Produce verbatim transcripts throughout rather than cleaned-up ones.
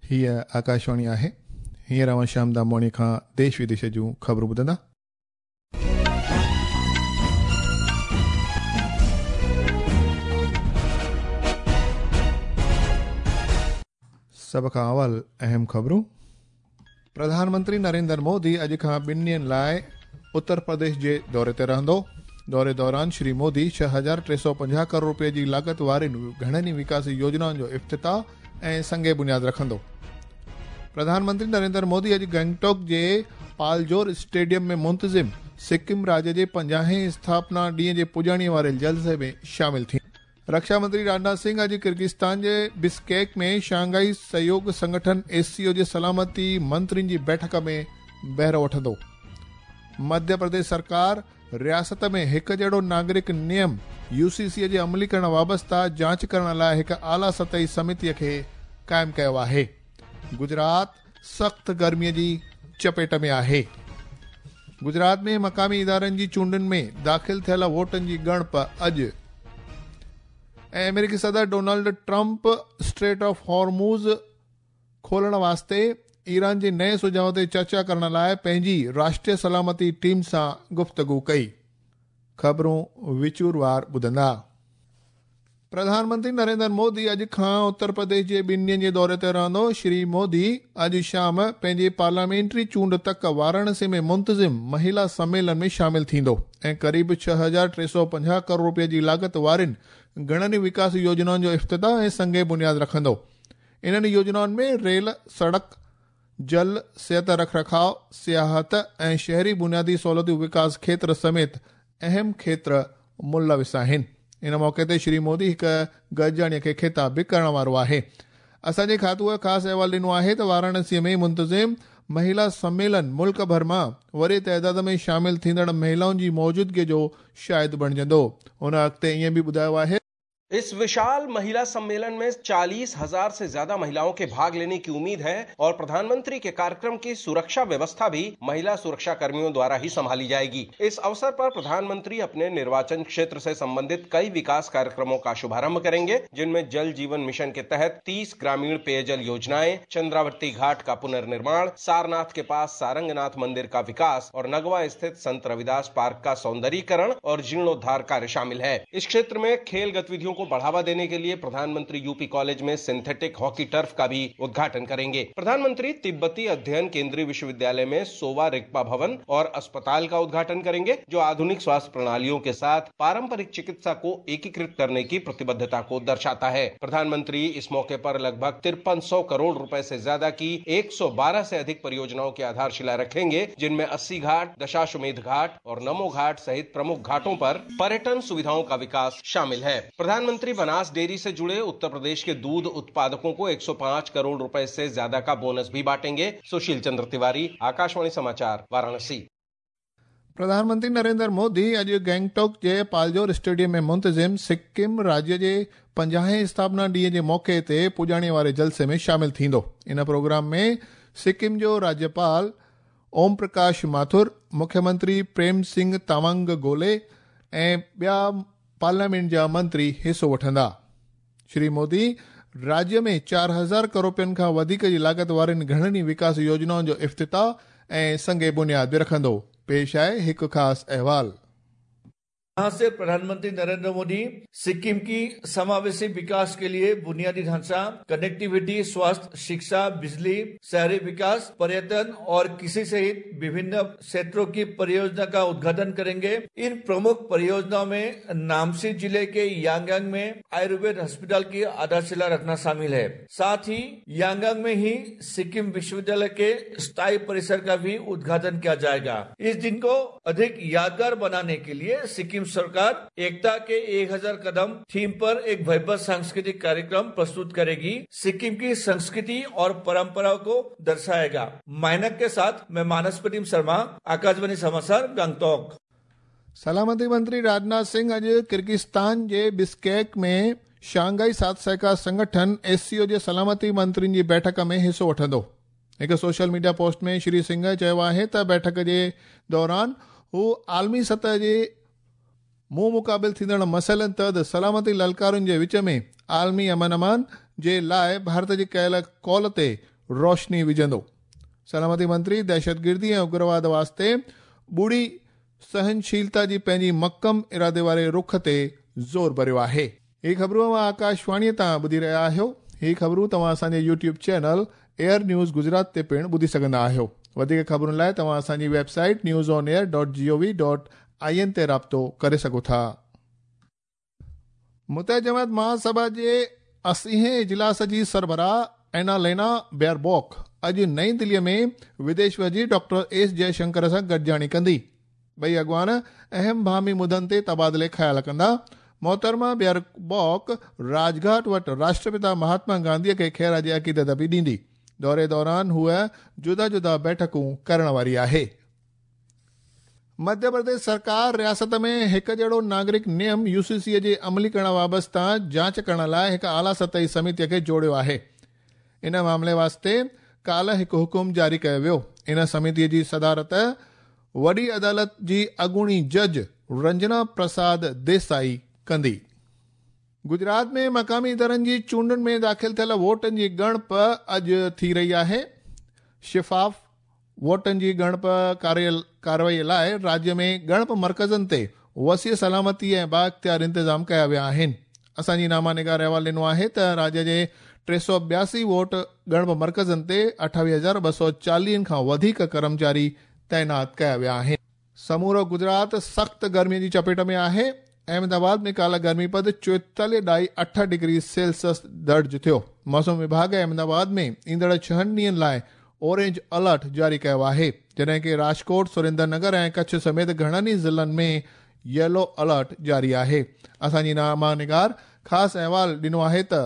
हीअ आकाशवाणी आहे। हींअर अव्हां श्याम दामवाणी खां देश विदेश जूं ख़बरूं ॿुधंदा। सभ खां अवल अहम ख़बरूं। प्रधानमंत्री नरेंद्र मोदी अॼु खां ॿिनि ॾींहंनि लाइ उत्तर प्रदेश जे दौरे ते रहंदो। दौरे दौरान श्री मोदी छह हज़ार टे सौ पंजाह करोड़ रुपये जी लागत वारियुनि घणनि ई विकास योजनाउनि जो इफ्तिताह ऐं संगे बुनियाद रखंदो। प्रधानमंत्री नरेंद्र मोदी अॼु गैंगटॉक जे पालजोर स्टेडियम में मुंतज़िम सिक्किम राज्य जे पंजाहें स्थापना ॾींहं जे पुॼाणीअ वारे जलसे में शामिल थी। रक्षा मंत्री राजनाथ सिंह अॼु किर्गिस्तान जे बिश्केक में शंघाई सहयोग संगठन एस सी ओ जे सलामती मंत्रियुनि जी बैठक में बहिरो वठंदो। मध्य प्रदेश सरकार रियासत में हिकु जहिड़ो नागरिक नियम you see सी जे अमलीकरण वाबस्ता जांच करण लाइ हिकु आला सतही समितीअ खे क़ाइमु कयो आहे। गुजरात सख़्त गर्मीअ जी चपेट में आहे। गुजरात में मक़ामी इदारनि जी चूंडुनि में दाख़िल थियल वोटनि जी ॻणप अॼु। ऐं अमेरिकी सदर Donald Trump Strait of Hormuz खोलण वास्ते ईरान जे नए सुझाव ते चर्चा करण लाइ पंहिंजी राष्ट्रीय सलामती टीम सां गुफ़्तगू कई। ख़बरूं विचूरवार ॿुधंदा। प्रधानमंत्री नरेंद्र मोदी अॼु खां उत्तर प्रदेश जे ॿिनि ॾींहंनि जे दौरे ते रहंदो। श्री मोदी अॼु शाम पंहिंजी पार्लियामेंट्री चूंड तक वाराणसी में मुंतज़िम महिला सम्मेलन में शामिल थींदो ऐं क़रीब छह हज़ार टे सौ पंजाह करोड़ रुपये जी लागत वारियुनि घणनि विकास योजनाउनि जो इफ्तिताह ऐं संगे बुनियाद रखंदो। इन्हनि योजनाउनि में रेल, सड़क, जल, सिहत रखरखाव, सियाहत ऐं शहरी बुनियादी सहूलियतूं विकास क्षेत्र समेत अहम क्षेत्र मुलविस आहिनि। इन मौक़े ते श्री मोदी हिकु गॾिजाणीअ खे ख़िताब बि करण वारो आहे। असांजे खातूअ ख़ासि अहवाल ॾिनो आहे त वाराणसीअ में मुंतज़िम महिला सम्मेलन मुल्क भर मां वॾे ताइदाद में शामिल थींदड़ महिलाउनि जी मौजूदगीअ जो शाहिद बणिजंदो। हुन अॻिते ईअं बि ॿुधायो आहे, इस विशाल महिला सम्मेलन में चालीस हजार से ज्यादा महिलाओं के भाग लेने की उम्मीद है और प्रधानमंत्री के कार्यक्रम की सुरक्षा व्यवस्था भी महिला सुरक्षा कर्मियों द्वारा ही संभाली जाएगी। इस अवसर पर प्रधानमंत्री अपने निर्वाचन क्षेत्र से संबंधित कई विकास कार्यक्रमों का शुभारंभ करेंगे, जिनमें जल जीवन मिशन के तहत तीस ग्रामीण पेयजल योजनाएं, चंद्रावती घाट का पुनर्निर्माण, सारनाथ के पास सारंगनाथ मंदिर का विकास और नगवा स्थित संत रविदास पार्क का सौंदर्यीकरण और जीर्णोद्धार कार्य शामिल है। इस क्षेत्र में खेल गतिविधियों को बढ़ावा देने के लिए प्रधानमंत्री यूपी कॉलेज में सिंथेटिक हॉकी टर्फ का भी उद्घाटन करेंगे। प्रधानमंत्री तिब्बती अध्ययन केंद्रीय विश्वविद्यालय में सोवा रिग्पा भवन और अस्पताल का उद्घाटन करेंगे, जो आधुनिक स्वास्थ्य प्रणालियों के साथ पारंपरिक चिकित्सा को एकीकृत करने की प्रतिबद्धता को दर्शाता है। प्रधानमंत्री इस मौके पर लगभग तिरपन सौ करोड़ रुपए से ज्यादा की एक सौ बारह से अधिक परियोजनाओं की आधारशिला रखेंगे, जिनमें अस्सी घाट, दशाश्वमेध घाट और नमो घाट सहित प्रमुख घाटों पर पर्यटन सुविधाओं का विकास शामिल है। प्रधानमंत्री बनास डेयरी से जुड़े उत्तर प्रदेश के दूध उत्पादकों को एक सौ पाँच करोड़ रुपए से ज्यादा का बोनस भी बांटेंगे। सुशील चंद्र तिवारी, आकाशवाणी समाचार, वाराणसी। प्रधानमंत्री नरेंद्र मोदी अॼु गैंगटॉक जे पालजोर स्टेडियम में मुंतज़िम सिक्किम राज्य जे पंजाहें स्थापना ॾींहं जे मौक़े ते पुॼाणीअ वारे जलसे में शामिल थींदो। इन प्रोग्राम में सिक्किम जो राज्यपाल ओम प्रकाश माथुर, मुख्यमंत्री प्रेम सिंह तामंग गोले ऐं ॿिया पार्लियामेंट जा मंत्री हिसो वठंदा। श्री मोदी राज्य में चार हज़ार करोड़ रुपयनि खां वधीक जी लागत वारियुनि घणनि ई विकास योजनाउनि जो इफ्तिताह ऐं संगे बुनियाद बि रखंदो। पेश आहे हिकु ख़ासि अहवाल। यहाँ से प्रधानमंत्री नरेंद्र मोदी सिक्किम की समावेशी विकास के लिए बुनियादी ढांचा, कनेक्टिविटी, स्वास्थ्य, शिक्षा, बिजली, शहरी विकास, पर्यटन और कृषि सहित विभिन्न क्षेत्रों की परियोजना का उद्घाटन करेंगे। इन प्रमुख परियोजनाओं में नामसी जिले के यांगयांग में आयुर्वेद अस्पताल की आधारशिला रखना शामिल है। साथ ही यांगयांग में ही सिक्किम विश्वविद्यालय के स्थायी परिसर का भी उद्घाटन किया जाएगा। इस दिन को अधिक यादगार बनाने के लिए सिक्किम सरकार एकता के एक हजार कदम थीम पर एक भव्य सांस्कृतिक कार्यक्रम प्रस्तुत करेगी। सिक्किम की संस्कृति और परंपराओं को दर्शाएगा। माइनक के साथ मैं मानस प्रतिम शर्मा, आकाशवाणी समाचार, गंगटोक। सलामती मंत्री राजनाथ सिंह अॼु किर्गिस्तान जे बिश्केक में शंघाई साथ सहकार संगठन एस सी ओ जे सलामती मंत्रियुनि जी बैठक में हिसो वठंदो। हिकु सोशल मीडिया पोस्ट में श्री सिंह चयो आहे त बैठक जे दौरान हू आलमी सतह जे मुंहुं मुक़ाबिल थींदड़ मसइलनि तहत सलामती ललकारुनि जे विच में आलमी अमन अमान जे लाइ भारत जी कयल कॉल ते रोशनी विझंदो। सलामती मंत्री दहशतगिर्दी ऐं उग्रवाद वास्ते ॿुड़ी सहनशीलता जी पंहिंजी मक्कम इरादे वारे रुख ते ज़ोर भरियो आहे। ही ख़बरूं तव्हां आकाशवाणीअ तां ॿुधी रहिया आहियो। ही ख़बरूं तव्हां असांजे YouTube channel Air News Gujarat ते पिणु ॿुधी सघंदा आहियो। वधीक ख़बरुनि लाइ तव्हां असांजी website news on air dot G O V dot I N ते राब्तो करे सघो था। मुतह जमात महासभा जे अस्सीहें इजलास जी सरबराह एनालेना बेयरबॉक अॼु नई दिल्लीअ में विदेश वज़ीर डॉक्टर एस जयशंकर सां गॾिजाणी कंदी। ॿई अॻवान अहम भामी मुदनि ते तबादिले ख़्याल कंदा। मोहतरमा बेयरबॉक राजघाट वटि राष्ट्रपिता महात्मा गांधीअ खे ख़ैराज अक़ीदत बि ॾींदी। दौरे दौरान हूअ जुदा जुदा बैठकूं करण वारी आहे। मध्य प्रदेश सरकार रियासत में हिकु जहिड़ो नागरिक नियम you see सी जे अमली करण वाबस्ता जांच करण लाइ हिकु आला सतही समितीअ खे जोड़ियो आहे। इन मामले वास्ते काल्ह हिकु हुकुम जारी कयो वियो। इन समितीअ जी सदारत वॾी अदालत जी अॻूणी जज रंजना प्रसाद देसाई कंदी। गुजरात में मक़ामी इदारनि जी चूंडुनि में दाख़िल थियल वोटनि जी ॻणप अॼु थी रही आहे। शफ़ाफ़ वोटनि जी ॻणप कार्रवाई लाइ राज्य में ॻणप मर्कज़नि ते वसी सलामती ऐं बाइख़्तियार इंतज़ाम कया विया आहिनि। असांजी नामा निगार अहवाल ॾिनो आहे त राज्य जे टे सौ ॿियासी वोट ॻणप मर्कज़नि ते अठावीह हज़ार ॿ सौ चालीहनि खां वधीक कर्मचारी तैनात कया विया आहिनि। समूरो गुजरात सख़्त गर्मीअ जी चपेट में आहे। अहमदाबाद में काल्ह गर्मी पद चोएतालीह ॾाई अठ डिग्री सेल्सियस दर्ज थियो। मौसम विभाग अहमदाबाद में ईंदड़ छहनि ॾींहनि लाइ ऑरेंज अलर्ट जारी कयो आहे, जॾहिं की राजकोट, सुरेंद्र नगर ऐं कच्छ समेत घणनि ई ज़िलनि में येलो अलर्ट जारी आहे। असांजी नामा निगार ख़ासि अहवाल ॾिनो आहे त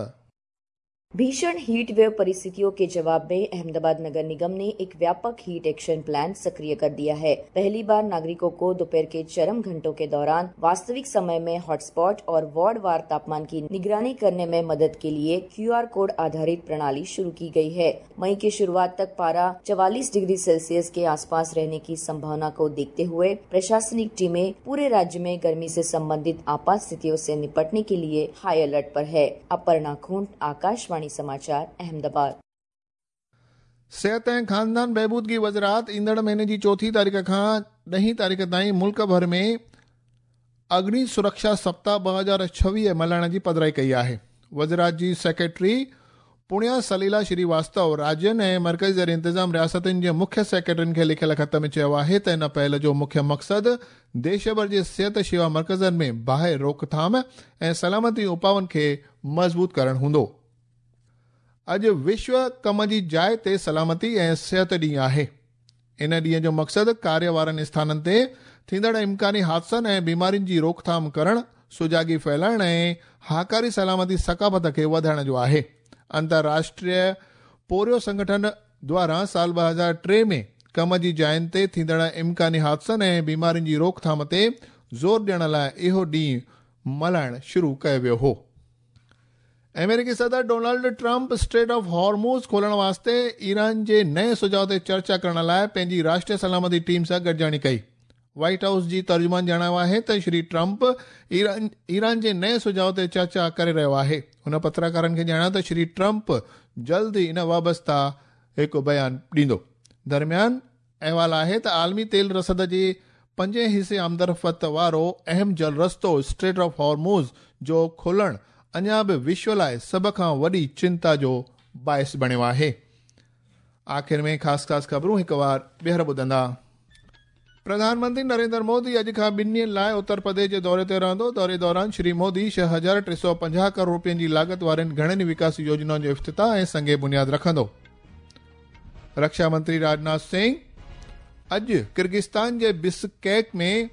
भीषण हीट वेव परिस्थितियों के जवाब में अहमदाबाद नगर निगम ने एक व्यापक हीट एक्शन प्लान सक्रिय कर दिया है। पहली बार नागरिकों को दोपहर के चरम घंटों के दौरान वास्तविक समय में हॉटस्पॉट और वार्ड वार तापमान की निगरानी करने में मदद के लिए क्यू आर कोड आधारित प्रणाली शुरू की गई है। मई की शुरुआत तक पारा चवालीस डिग्री सेल्सियस के आसपास रहने की संभावना को देखते हुए प्रशासनिक टीमें पूरे राज्य में गर्मी से संबंधित आपात स्थितियों से निपटने के लिए हाई अलर्ट पर है। अपर्णा खूंट, आकाशवाणी समाचार, अहमदाबाद। सेहत ऐं ख़ानदान बहबूदगी वज़ारत ईंदड़ महीने जी चौथी तारीख़ खां ॾहीं तारीख़ ताईं मुल्क भर में अग्नि सुरक्षा सप्ताह ॿ हज़ार छवीह मल्हाइण जी पधराई कई आहे। वज़ारत जी सेक्रेटरी पुण्या सलीला श्रीवास्तव राज्यनि ऐं मर्कज़ी ज़ेर इंतज़ाम रियासतुनि जे मुख्य सेक्रेटरियुनि खे लिखियल ख़त में चयो आहे त इन पहल जो मुख्य मक़सदु देश भर जे सिहत शेवा मर्कज़नि में बाहि रोकथाम ऐं सलामती उपाउनि खे मज़बूत करणु हूंदो। अॼु विश्व कम जी जाइ ते सलामती ऐं सिहत ॾींहुं आहे। इन ॾींहं जो मक़सदु कार्य वारनि स्थाननि ते थींदड़ इम्कानी हादसनि ऐं बीमारियुनि जी रोकथाम करणु, सुजागी फैलाइण ऐं हाकारी सलामती सकाफ़त खे वधाइण जो आहे। अंतर्राष्ट्रीय पोरियो संगठन द्वारा साल ॿ हज़ार टे में कम जी जाइनि ते थींदड़ इम्कानी हादसनि ऐं बीमारियुनि जी रोकथाम ते ज़ोर ॾियण लाइ इहो ॾींहुं मल्हाइणु शुरू कयो वियो हो। अमेरिकी सदर Donald Trump Strait of Hormuz खोलण वास्ते ईरान जे नए सुझाव ते चर्चा करण लाइ पंहिंजी राष्ट्रीय सलामती टीम सां गॾिजाणी कई। व्हाइट हाउस जी तर्जुमान ॼाणायो आहे त श्री ट्रंप ईरान ईरान जे नए सुझाव ते चर्चा करे रहियो आहे। हुन पत्रकारनि खे ॼाणायो त श्री ट्रंप जल्द ई इन वाबस्ता हिकु बयान ॾींदो। दरमियान अहवाल आहे त आलमी तेल रसद जे पंजे हिसे आमदरफ़्त वारो अहम जल रस्तो स्ट्रेट ऑफ हॉर्मूज़ जो खोलणु अञा बि विश्व लाइ सभ खां वॾी चिंता जो बाइस बणियो आहे। आख़िर में ख़ासि ख़ासि ख़बरूं हिकु वार ॿीहर ॿुधंदा। प्रधानमंत्री नरेंद्र मोदी अॼु खां ॿिनि ॾींहनि लाइ उत्तर प्रदेश जे दौरे ते रहंदो। दौरे दौरान श्री मोदी छह हज़ार टे सौ पंजाह करोड़ रुपयनि जी लागत वारनि घणनि विकास योजनाउनि जो इफ़्तिताह ऐं संगे बुनियाद रखंदो। रक्षा मंत्री राजनाथ सिंह अॼु किर्गिस्तान जे बिश्केक में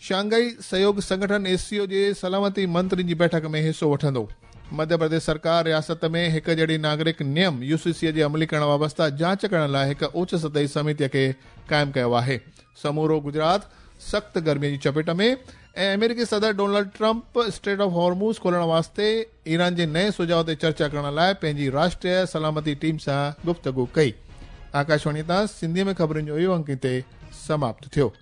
शांघाई सहयोग संगठन एस सी ओ जे सलामती मंत्रियुनि जी बैठक में हिसो वठंदो। मध्य प्रदेश सरकार रियासत में हिकु जहिड़ी नागरिक नियम you see सी जे अमली करण वाबस्ता जांच करण लाइ हिकु उच्च सतही समितीअ खे क़ाइमु कयो आहे। समूरो गुजरात सख़्त गर्मीअ जी चपेट में ऐं अमेरिकी सदर Donald Trump Strait of Hormuz खोलण वास्ते ईरान जे नए सुझाव ते चर्चा करण लाइ पंहिंजी राष्ट्रीय सलामती टीम सां गुफ़्तगू कई। आकाशवाणी तां सिंधीअ में ख़बरुनि जो इहो अंक हिते समाप्त थियो।